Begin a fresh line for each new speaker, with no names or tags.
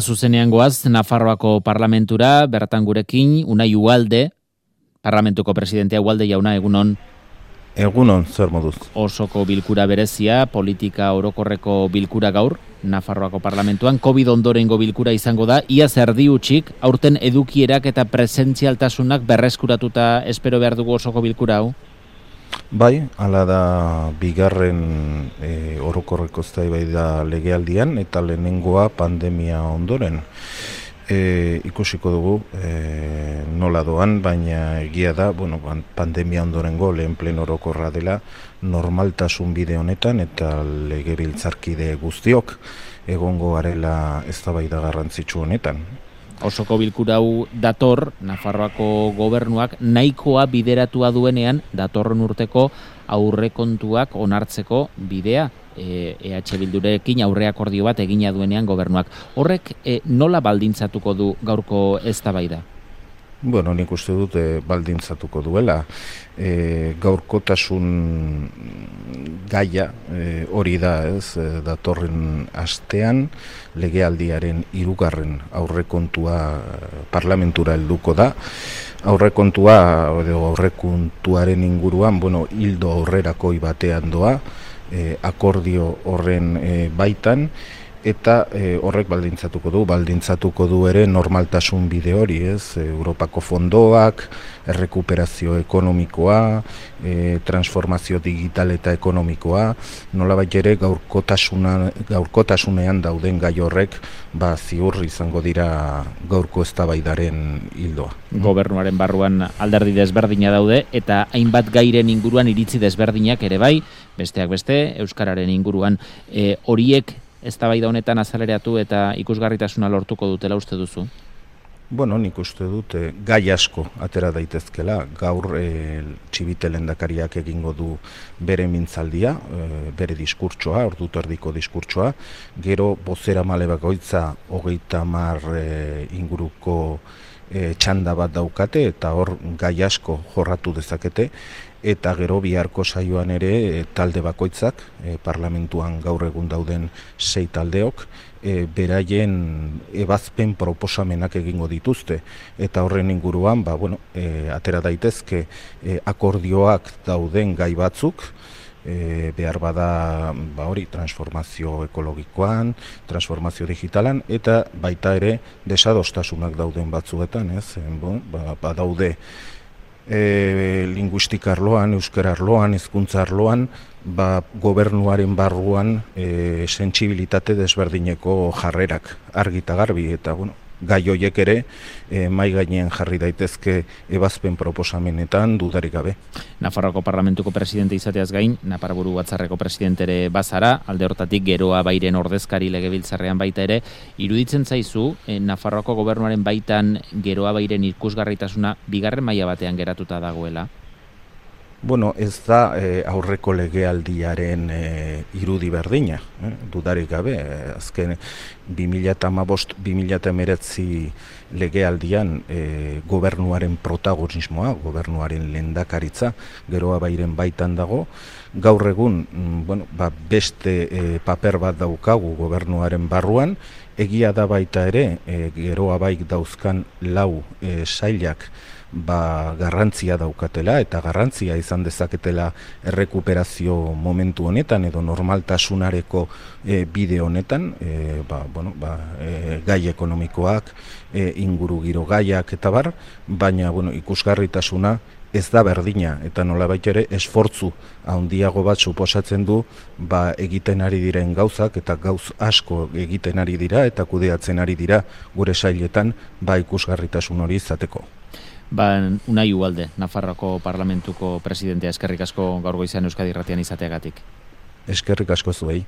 Zuzenean goaz, Nafarroako parlamentura, bertan gurekin, Unai Ugalde, parlamentuko presidentea. Ugalde jauna, egunon.
Egunon, zer moduz.
Osoko bilkura berezia, politika orokorreko bilkura gaur, Nafarroako parlamentuan, COVID ondorengo bilkura izango da, iaz erdi utxik, aurten edukierak eta presentzialtasunak berreskuratuta espero behar dugu osoko bilkura hau?
Bai, hala da bigarren orokorreko eztabaida legealdian eta lehenengoa pandemia ondoren. Ikusiko dugu nola doan, baina egia da, pandemia ondorengo lehen pleno orokorra dela normaltasun bide honetan eta legebiltzarkide guztiok egongo garela eztabaida garrantzitsu honetan.
Osoko bilkura hau dator, Nafarroako gobernuak nahikoa bideratua duenean datorren urteko aurrekontuak onartzeko bidea. EH Bildurekin aurreakordio bat egina duenean gobernuak. Horrek nola baldintzatuko du gaurko eztabaida?
Nik uste dut baldintzatuko duela. Gaurkotasun gaia hori da, datorren astean legealdiaren 3. aurrekontua parlamentura helduko da. Aurrekontuaren inguruan, hildo aurrerakoi batean doa, akordio horren baitan, eta horrek baldintzatuko du ere normaltasun bide hori, Europako fondoak, errekuperazio ekonomikoa, transformazio digital eta ekonomikoa, nolabait ere gaurkotasunean dauden gai horrek ziur izango dira gaurko eztabaidaren hildoa.
Gobernuaren barruan alderdi desberdina daude eta hainbat gairen inguruan iritzi desberdinak ere bai, besteak beste, euskararen inguruan. Horiek eztabaida honetan azaleratu eta ikusgarritasuna lortuko dutela uste duzu?
Nik uste dut gai asko atera daitezkela. Gaur Txibite lehendakariak egingo du bere mintzaldia, bere diskurtsoa, orduko erdiko diskurtsoa. Gero bozeramale bakoitza 30 inguruko txanda bat daukate eta hor gai asko jorratu dezakete. Eta gero biharko saioan ere talde bakoitzak, parlamentuan gaur egun dauden 6 taldeok, beraien ebazpen proposamenak egingo dituzte. Eta horren inguruan, atera daitezke akordioak dauden gai batzuk, behar bada transformazio ekologikoan, transformazio digitalan, eta baita ere desadostasunak dauden batzuetan, badaude linguistika arloan, euskara arloan, hizkuntza arloan, gobernuaren barruan sentsibilitate desberdineko jarrerak argi eta garbi, eta gai horiek ere mahai gainean jarri daitezke ebazpen proposamenetan dudarik gabe.
Nafarroako parlamentuko presidente izateaz gain, Naparaburu Batzarreko presidente ere bazara, alde hortatik Geroa Bairen ordezkari legebiltzarrean baita ere, iruditzen zaizu Nafarroako gobernuaren baitan Geroa Bairen ikusgarritasuna bigarren maila batean geratuta dagoela?
Ez da aurreko legealdiaren irudi berdina, dudarik gabe. Azken 2015-2019 legealdian gobernuaren protagonismoa, gobernuaren lehendakaritza, Geroa Bairen baitan dago. Gaur egun beste paper bat daukagu gobernuaren barruan, egia da baita ere Geroa Baik dauzkan 4 sailak garrantzia daukatela eta garrantzia izan dezaketela errekuperazio momentu honetan edo normaltasunareko bide honetan, gai ekonomikoak, ingurugiro gaiak eta bar, baina ikusgarritasuna ez da berdina eta nolabait ere esfortzu handiago bat suposatzen du egiten ari diren gauzak eta gauz asko egiten ari dira eta kudeatzen ari dira gure sailetan ikusgarritasun hori izateko.
Unai Ugalde, Nafarroako parlamentuko presidentea, eskerrik asko gaur goizean Euskadi Irratian izateagatik.
Eskerrik asko zuei.